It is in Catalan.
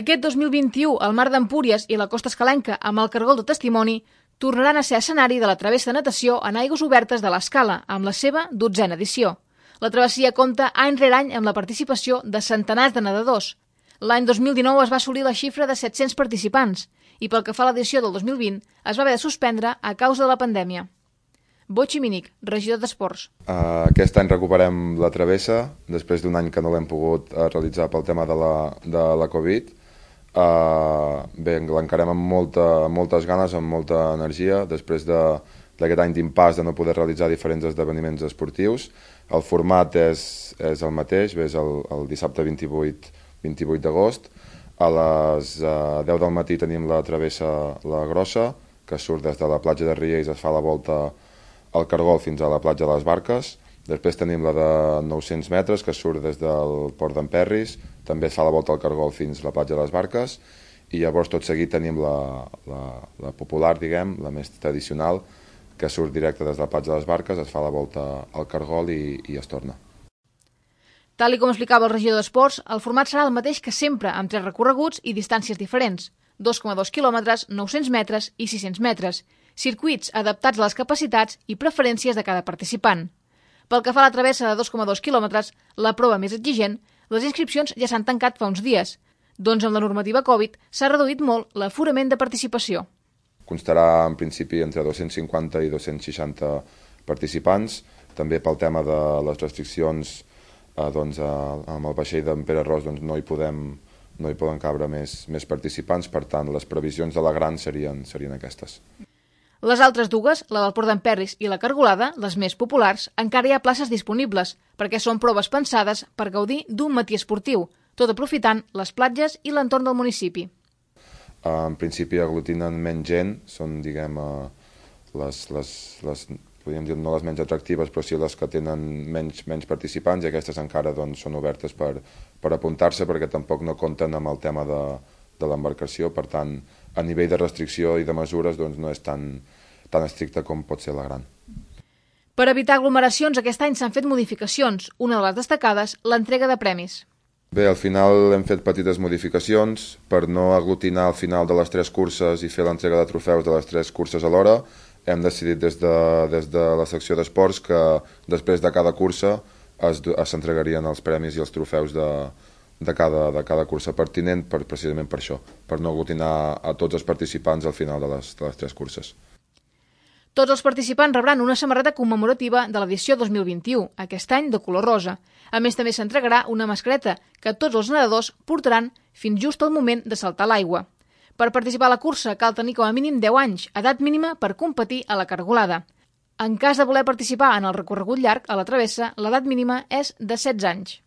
Aquest 2021, el Mar d'Empúries i la Costa Escalenca, amb el Cargol de Testimoni, tornaran a ser escenari de la travessa de natació en aigües obertes de l'Escala, amb la seva 12a edició. La travessia compta any rere any amb la participació de centenars de nedadors. L'any 2019 es va assolir la xifra de 700 participants i pel que fa a l'edició del 2020 es va haver de suspendre a causa de la pandèmia. Boi Ximinic, regidor d'Esports. Aquest any recuperem la travessa, després d'un any que no l'hem pogut realitzar pel tema de la Covid. Bé, l'encarem amb moltes ganes, amb molta energia, després d'aquest any d'impàs de no poder realitzar diferents esdeveniments esportius. El format és el mateix, és el dissabte 28 d'agost. A les 10 del matí tenim la travessa La Grossa, que surt des de la platja de Riells, es fa la volta al Cargol fins a la platja de les Barques. Després tenim la de 900 metres, que surt des del Port d'Emperris, també es fa la volta al Cargol fins a la platja de les Barques, i llavors tot seguit tenim la popular, diguem, la més tradicional, que surt directe des de la platja de les Barques, es fa la volta al Cargol i es torna. Tal com explicava el regidor d'Esports, el format serà el mateix que sempre, amb 3 recorreguts i distàncies diferents, 2,2 quilòmetres, 900 metres i 600 metres, circuits adaptats a les capacitats i preferències de cada participant. Pel que fa a la travessa de 2,2 quilòmetres, la prova més exigent, les inscripcions ja s'han tancat fa uns dies, doncs amb la normativa Covid s'ha reduït molt l'aforament de participació. Constarà en principi entre 250 i 260 participants, també pel tema de les restriccions amb el vaixell d'en Pere Ros no hi poden cabre més participants, per tant les previsions de la gran serien aquestes. Les altres dues, la del Port d'Emperris i la Cargolada, les més populars, encara hi ha places disponibles, perquè són proves pensades per gaudir d'un matí esportiu, tot aprofitant les platges i l'entorn del municipi. En principi aglutinen menys gent, són, diguem, podríem dir no les menys atractives, però sí les que tenen menys participants, i aquestes encara són obertes per apuntar-se, perquè tampoc no compten amb el tema de l'embarcació, per tant, a nivell de restricció i de mesures no és tan estricta com pot ser la gran. Per evitar aglomeracions, aquest any s'han fet modificacions, una de les destacades, l'entrega de premis. Bé, al final hem fet petites modificacions per no aglutinar al final de les 3 curses i fer l'entrega de trofeus de les 3 curses alhora. Hem decidit des de la secció d'esports que després de cada cursa s'entregarien els premis i els trofeus de cada cursa pertinent precisament per això, per no aglutinar a tots els participants al final de les 3 curses. Tots els participants rebran una samarreta commemorativa de l'edició 2021, aquest any de color rosa. A més, també s'entregarà una mascareta que tots els nedadors portaran fins just al moment de saltar a l'aigua. Per participar a la cursa cal tenir com a mínim 10 anys, edat mínima per competir a la Cargolada. En cas de voler participar en el recorregut llarg a la travessa, l'edat mínima és de 16 anys.